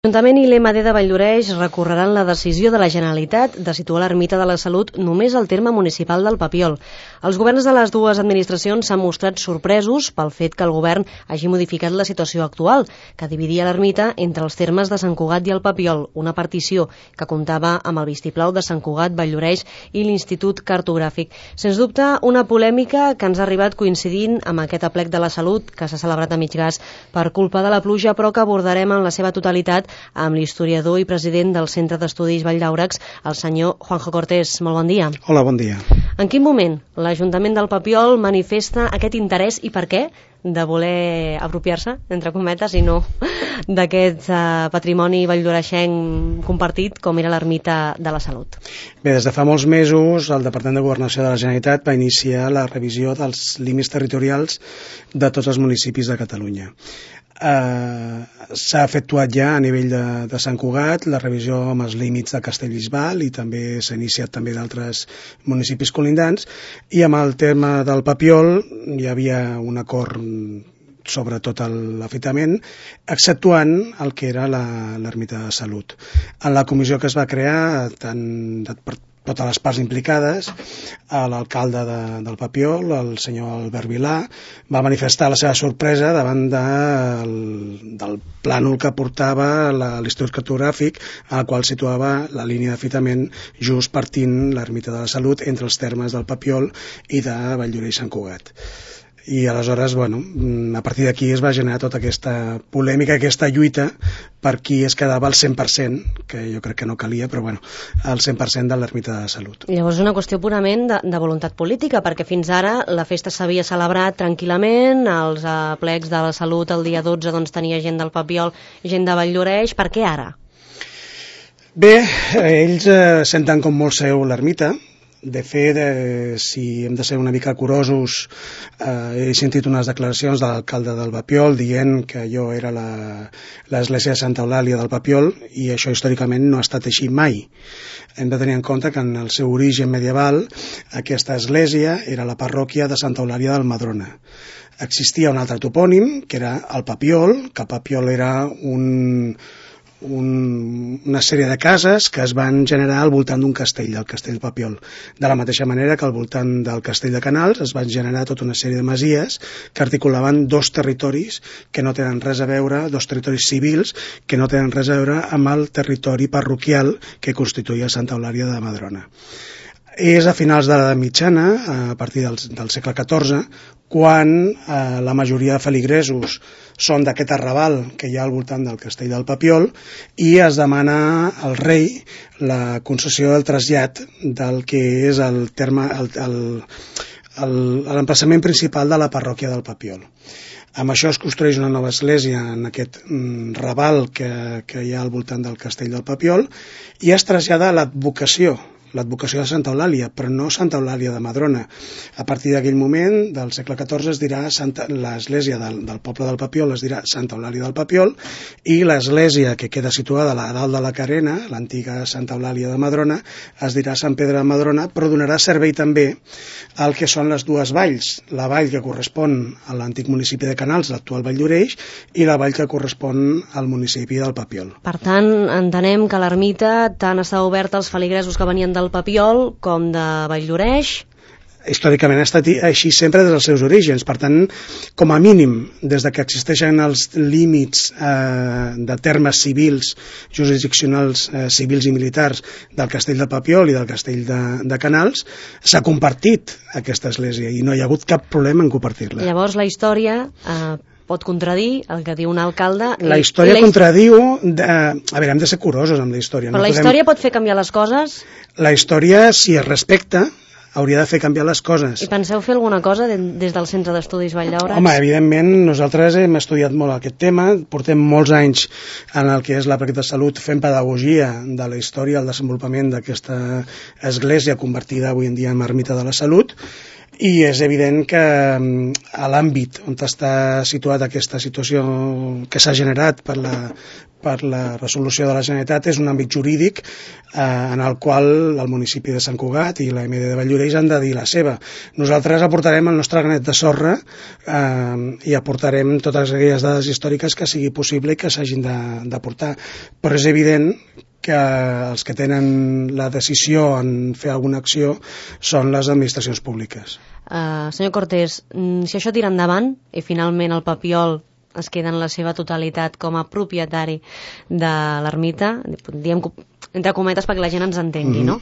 L'Ajuntament i l'EMD de Valldoreix recorreran la decisió de la Generalitat de situar l'Ermita de la Salut només al terme municipal del Papiol. Els governs de les dues administracions s'han mostrat sorpresos pel fet que el govern hagi modificat la situació actual, que dividia l'ermita entre els termes de Sant Cugat i el Papiol, una partició que comptava amb el vistiplau de Sant Cugat, Valldoreix i l'Institut Cartogràfic. Sens dubte, una polèmica que ens ha arribat coincidint amb aquest aplec de la Salut que s'ha celebrat a mig gas per culpa de la pluja, però que abordarem en la seva totalitat amb l'historiador i president del Centre d'Estudis Vall d'Àurecs, el senyor Juanjo Cortés. Molt bon dia. Hola, bon dia. En quin moment l'Ajuntament del Papiol manifesta aquest interès i per què de voler apropiar-se, entre cometes, i no d'aquest patrimoni valldoreixenc compartit com era l'Ermita de la Salut? Bé, des de fa molts mesos el Departament de Governació de la Generalitat va iniciar la revisió dels límits territorials de tots els municipis de Catalunya. S'ha efectuat ja a nivell de Sant Cugat la revisió amb els límits de Castellbisbal i també s'ha iniciat també d'altres municipis colindants, i amb el tema del Papiol hi havia un acord sobre tot l'afitament, exceptuant el que era l'Ermita de Salut. En la comissió que es va crear, tant per totes les parts implicades, l'alcalde del Papiol, el senyor Albert Vilà, va manifestar la seva sorpresa davant del plànol que portava l'Institut Cartogràfic, al qual situava la línia d'afitament just partint l'Ermita de la Salut entre els termes del Papiol i de Valldoreix i Sant Cugat. I aleshores, a partir d'aquí es va generar tota aquesta polèmica, aquesta lluita per qui es quedava al 100%, que jo crec que no calia, però el 100% de l'Ermita de la Salut. Llavors és una qüestió purament de voluntat política, perquè fins ara la festa s'havia celebrat tranquil·lament, els plecs de la Salut el dia 12 tenia gent del Papiol, gent de Valldoreix. Per què ara? Bé, ells senten com molt seu l'ermita. De fet, si hem de ser una mica curosos, he sentit unes declaracions de l'alcalde del Papiol dient que allò era l'església de Santa Eulàlia del Papiol, i això històricament no ha estat així mai. Hem de tenir en compte que en el seu origen medieval aquesta església era la parròquia de Santa Eulàlia del Madrona. Existia un altre topònim, que era el Papiol, que el Papiol era una sèrie de cases que es van generar al voltant d'un castell, del castell Papiol. De la mateixa manera que al voltant del castell de Canals es van generar tota una sèrie de masies que articulaven dos territoris que no tenen res a veure, dos territoris civils que no tenen res a veure amb el territori parroquial que constituïa Santa Eulàlia de Madrona. És a finals de l'edat mitjana, a partir del segle XIV, quan la majoria de feligresos són d'aquest arrabal que hi ha al voltant del castell del Papiol, i es demana al rei la concessió del trasllat del que és el terme, l'emplaçament principal de la parròquia del Papiol. Amb això es construeix una nova església en aquest raval que hi ha al voltant del castell del Papiol, i es trasllada a l'advocació de Santa Eulàlia, però no Santa Eulàlia de Madrona. A partir d'aquell moment, del segle XIV, es dirà l'església del poble del Papiol es dirà Santa Eulàlia del Papiol, i l'església que queda situada a dalt de la Carena, l'antiga Santa Eulàlia de Madrona, es dirà Sant Pere de Madrona, però donarà servei també al que són les dues valls, la vall que correspon a l'antic municipi de Canals, l'actual Valldoreix, i la vall que correspon al municipi del Papiol. Per tant, entenem que l'ermita tant està oberta als feligresos que venien del Papiol com de Valldoreix. Històricament ha estat així sempre des dels seus orígens. Per tant, com a mínim, des de que existeixen els límits de termes civils, jurisdiccionals civils i militars del castell de Papiol i del castell de Canals, s'ha compartit aquesta església i no hi ha hagut cap problema en compartir-la. Llavors la història pot contradir el que diu un alcalde. La història contradiu... A veure, hem de ser curosos amb la història. Però la història pot fer canviar les coses? La història, si es respecta, hauria de fer canviar les coses. I penseu fer alguna cosa des del Centre d'Estudis Vall d'Àurecs? Home, evidentment, nosaltres hem estudiat molt aquest tema, portem molts anys en el que és la pràctica de salut fent pedagogia de la història, el desenvolupament d'aquesta església convertida avui en dia en ermita de la Salut, I és evident que a l'àmbit on està situada aquesta situació que s'ha generat per la resolució de la Generalitat és un àmbit jurídic en el qual el municipi de Sant Cugat i la MD de Valldoreix han de dir la seva. Nosaltres aportarem el nostre granet de sorra i aportarem totes aquelles dades històriques que sigui possible i que s'hagin d'aportar, però és evident que els que tenen la decisió en fer alguna acció són les administracions públiques. Senyor Cortés, si això tira endavant i finalment el Papiol es queda en la seva totalitat com a propietari de l'ermita, diem entre cometes perquè la gent ens entengui, no?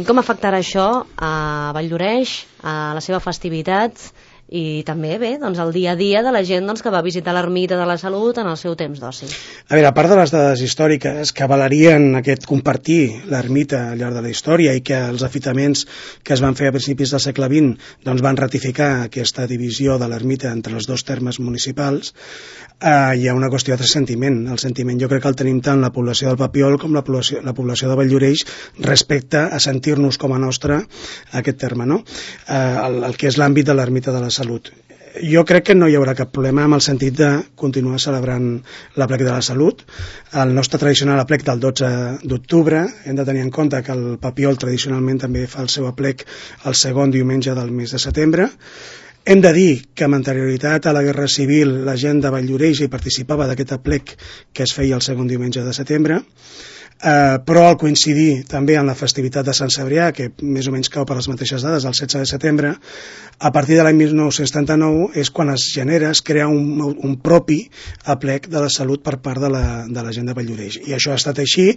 Com afectarà això a Valldoreix, a la seva festivitat i també, bé, doncs el dia a dia de la gent que va visitar l'ermita de la Salut en el seu temps d'oci? A veure, a part de les dades històriques que avalarien aquest compartir l'ermita al llarg de la història i que els afitaments que es van fer a principis del segle XX doncs van ratificar aquesta divisió de l'ermita entre els dos termes municipals, hi ha una qüestió de sentiment. El sentiment jo crec que el tenim tant la població del Papiol com la població de Valldoreix respecte a sentir-nos com a nostre aquest terme, no? El que és l'àmbit de l'ermita de la Salut. Jo crec que no hi haurà cap problema amb el sentit de continuar celebrant l'aplec de la Salut. El nostre tradicional aplec del 12 d'octubre, hem de tenir en compte que el Papiol tradicionalment també fa el seu aplec el segon diumenge del mes de setembre. Hem de dir que amb anterioritat a la Guerra Civil la gent de Valldoreix hi participava d'aquest aplec que es feia el segon diumenge de setembre, però al coincidir també en la festivitat de Sant Cebrià, que més o menys cau per les mateixes dades, el 16 de setembre, a partir de l'any 1979 és quan es crea un propi aplec de la Salut per part de la gent de Valldoreix. I això ha estat així,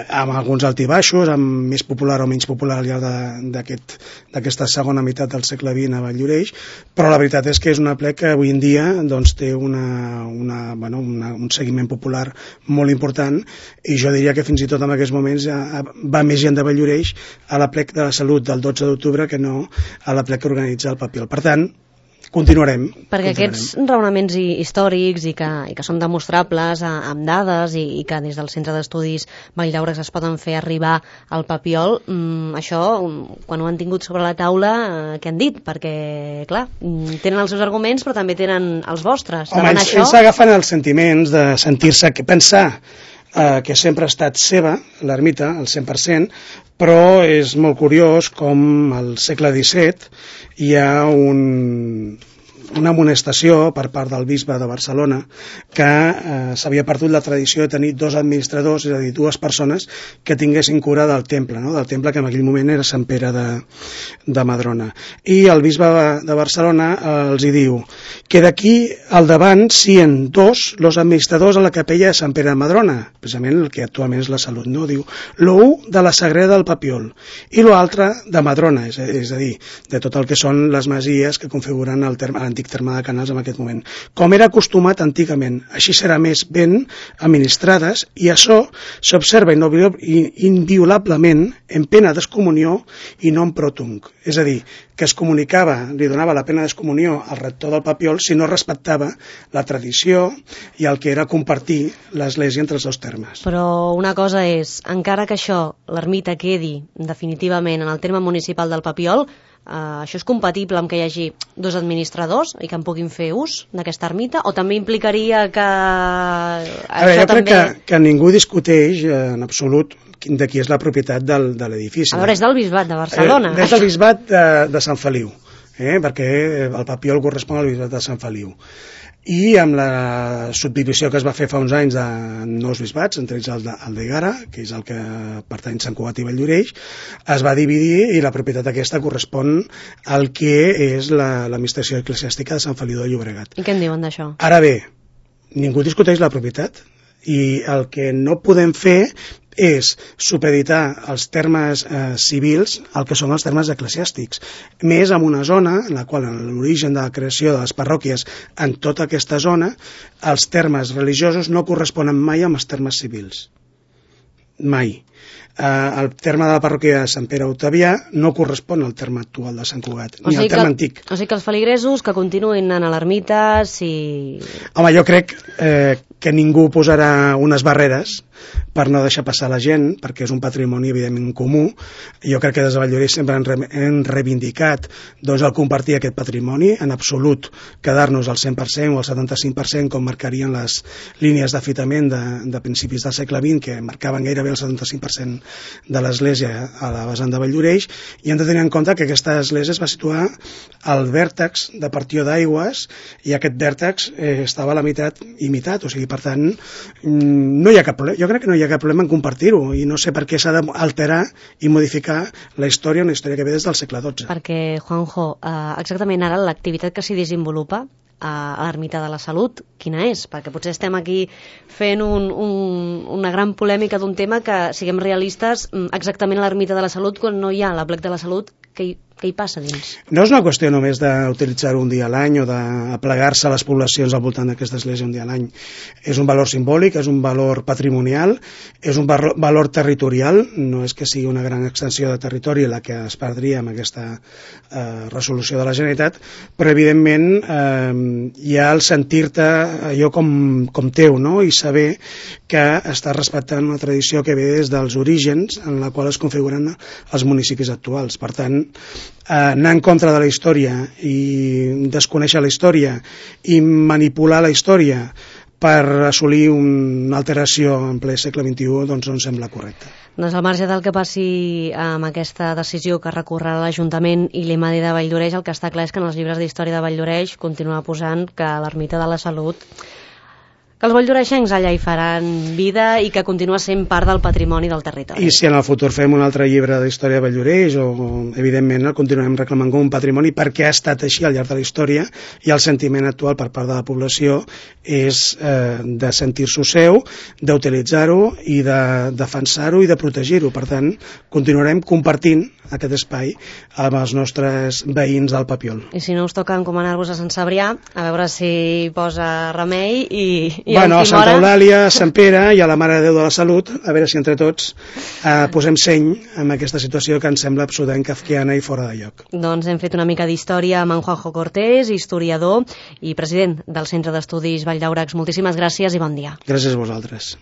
amb alguns altibaixos, amb més popular o menys popular al llarg d'aquesta segona meitat del segle XX a Valldoreix, però la veritat és que és un aplec que avui en dia doncs, té un seguiment popular molt important, i jo diria que fins i tot en aquests moments va més gent de Valldoreix a l'aplec de la Salut del 12 d'octubre que no a l'aplec que organitza el Papiol. Per tant, continuarem. Perquè aquests raonaments històrics i que són demostrables amb dades i que des del Centre d'Estudis Valldaura es poden fer arribar al Papiol, això, quan ho han tingut sobre la taula, què han dit? Perquè, clar, tenen els seus arguments però també tenen els vostres. Home, ells agafen els sentiments de sentir-se, pensar que sempre ha estat seva, l'ermita, al 100%, però és molt curiós com al segle XVII hi ha una amonestació per part del bisbe de Barcelona que s'havia perdut la tradició de tenir dos administradors, és a dir, dues persones que tinguessin cura del temple, no? Del temple que en aquell moment era Sant Pere de Madrona. I el bisbe de Barcelona els hi diu que d'aquí al davant siguin dos los administradors a la capella de Sant Pere de Madrona, precisament el que actualment és la Salut, no? Diu, l'u de la Sagrera del Papiol i l'altre de Madrona, és a dir, de tot el que són les masies que configuren l'antic terme de Canals en aquest moment. Com era acostumat antigament, així serà més ben administrades i això s'observa inviolablement en pena d'excomunió i no en protung. És a dir, que es comunicava, li donava la pena d'excomunió al rector del Papiol si no respectava la tradició i el que era compartir l'església entre els dos termes. Però una cosa és, encara que això, l'ermita quedi definitivament en el terme municipal del Papiol, això és compatible amb que hi hagi dos administradors i que en puguin fer ús d'aquesta ermita, o també implicaria que... jo crec que ningú discuteix en absolut de qui és la propietat de l'edifici. A veure, és del Bisbat de Barcelona. És del Bisbat de Sant Feliu, perquè el Papiol correspon al Bisbat de Sant Feliu. I amb la subdivisió que es va fer fa uns anys de nous bisbats, entre ells el d'Egara, que és el que pertany a Sant Cugat i Valldoreix, es va dividir i la propietat aquesta correspon al que és l'administració eclesiàstica de Sant Feliu de Llobregat. I què en diuen d'això? Ara bé, ningú discuteix la propietat i el que no podem fer és supeditar els termes civils al que són els termes eclesiàstics, més en una zona en la qual en l'origen de la creació de les parròquies en tota aquesta zona els termes religiosos no corresponen mai amb els termes civils, mai. El terme de la parròquia de Sant Pere Octavià no correspon al terme actual de Sant Cugat, ni al terme antic. O sigui que els feligresos que continuïn anant a l'ermita, si... Home, jo crec que ningú posarà unes barreres per no deixar passar la gent, perquè és un patrimoni evidentment comú. Jo crec que des de Valldoreix sempre hem reivindicat doncs, el compartir aquest patrimoni, en absolut quedar-nos al 100% o al 75% com marcarien les línies d'afitament de principis del segle XX, que marcaven gairebé el 75% de l'església a la vessant de Valldoreix, i hem de tenir en compte que aquesta església es va situar al vèrtex de partió d'aigües, i aquest vèrtex estava a la meitat imitat, o sigui, per tant, no hi ha cap problema. Jo crec que no hi ha cap problema en compartir-ho, i no sé per què s'ha d'alterar i modificar la història, una història que ve des del segle XII. Perquè, Juanjo, exactament ara l'activitat que s'hi desenvolupa a l'Ermita de la Salut, quina és? Perquè potser estem aquí fent una gran polèmica d'un tema que, siguem realistes, exactament a l'Ermita de la Salut, quan no hi ha l'Aplec de la Salut, què hi passa dins? No és una qüestió només d'utilitzar-ho un dia a l'any o d'aplegar-se a les poblacions al voltant d'aquesta església un dia a l'any. És un valor simbòlic, és un valor patrimonial, és un valor territorial, no és que sigui una gran extensió de territori la que es perdria amb aquesta resolució de la Generalitat, però evidentment hi ha el sentir-te allò com teu, no? I saber que estàs respectant una tradició que ve des dels orígens en la qual es configuren els municipis actuals. Per tant, anar en contra de la història i desconèixer la història i manipular la història per assolir una alteració en ple segle XXI doncs no em sembla correcte. Doncs al marge del que passi amb aquesta decisió que recorrerà l'Ajuntament i l'IMADI de Valldoreix, el que està clar és que en els llibres d'història de Valldoreix continua posant que l'Ermita de la Salut, que els valldoreixencs allà hi faran vida i que continua sent part del patrimoni del territori. I si en el futur fem un altre llibre d'història de Valldoreix, evidentment el continuem reclamant com un patrimoni perquè ha estat així al llarg de la història, i el sentiment actual per part de la població és de sentir-s'ho seu, d'utilitzar-ho i de defensar-ho i de protegir-ho. Per tant, continuarem compartint aquest espai amb els nostres veïns del Papiol. I si no us toca encomanar-vos a Sant Cebrià, a veure si posa remei a Santa Eulàlia, a Sant Pere i a la Mare de Déu de la Salut, a veure si entre tots posem seny en aquesta situació que ens sembla absolutament kafkiana i fora de lloc. Doncs hem fet una mica d'història amb en Juanjo Cortés, historiador i president del Centre d'Estudis Vall d'Àurecs. Moltíssimes gràcies i bon dia. Gràcies a vosaltres.